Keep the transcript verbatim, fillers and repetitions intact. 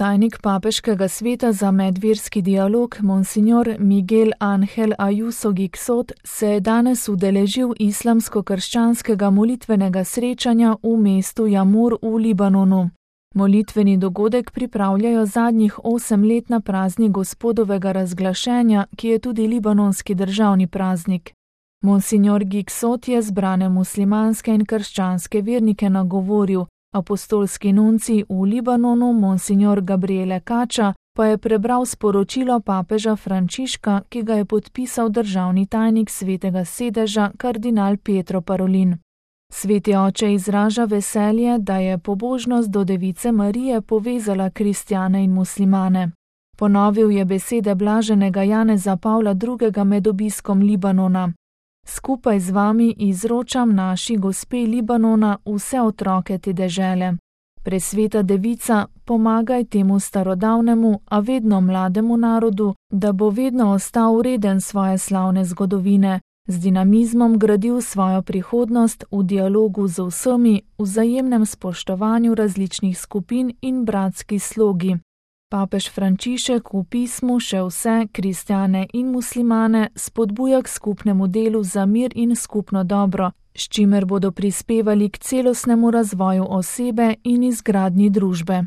tajnik Papeškega sveta za medverski dialog Monsignor Miguel Ángel Ayuso Gixot se je danes udeležil islamsko-krščanskega molitvenega srečanja v mestu Jamur v Libanonu. Molitveni dogodek pripravljajo zadnjih osem let na praznik Gospodovega razglašenja, ki je tudi libanonski državni praznik. Monsignor Gixot je zbrane muslimanske in krščanske vernike nagovoril, apostolski nuncij v Libanonu Monsignor Gabriele Kača pa je prebral sporočilo papeža Frančiška, ki ga je podpisal državni tajnik Svetega sedeža kardinal Pietro Parolin. Sveti oče izraža veselje, da je pobožnost do Device Marije povezala kristjane in muslimane. Ponovil je besede blaženega Janeza Pavla drugega med obiskom Libanona. Skupaj z vami izročam naši gospe Libanona vse otroke te dežele. Presveta devica, pomagaj temu starodavnemu, a vedno mlademu narodu, da bo vedno ostal vreden svoje slavne zgodovine, z dinamizmom gradil svojo prihodnost v dialogu z vsemi, v vzajemnem spoštovanju različnih skupin in bratski slogi. Papež Frančišek v pismu še vse kristjane in muslimane spodbuja k skupnemu delu za mir in skupno dobro, s čimer bodo prispevali k celostnemu razvoju osebe in izgradnji družbe.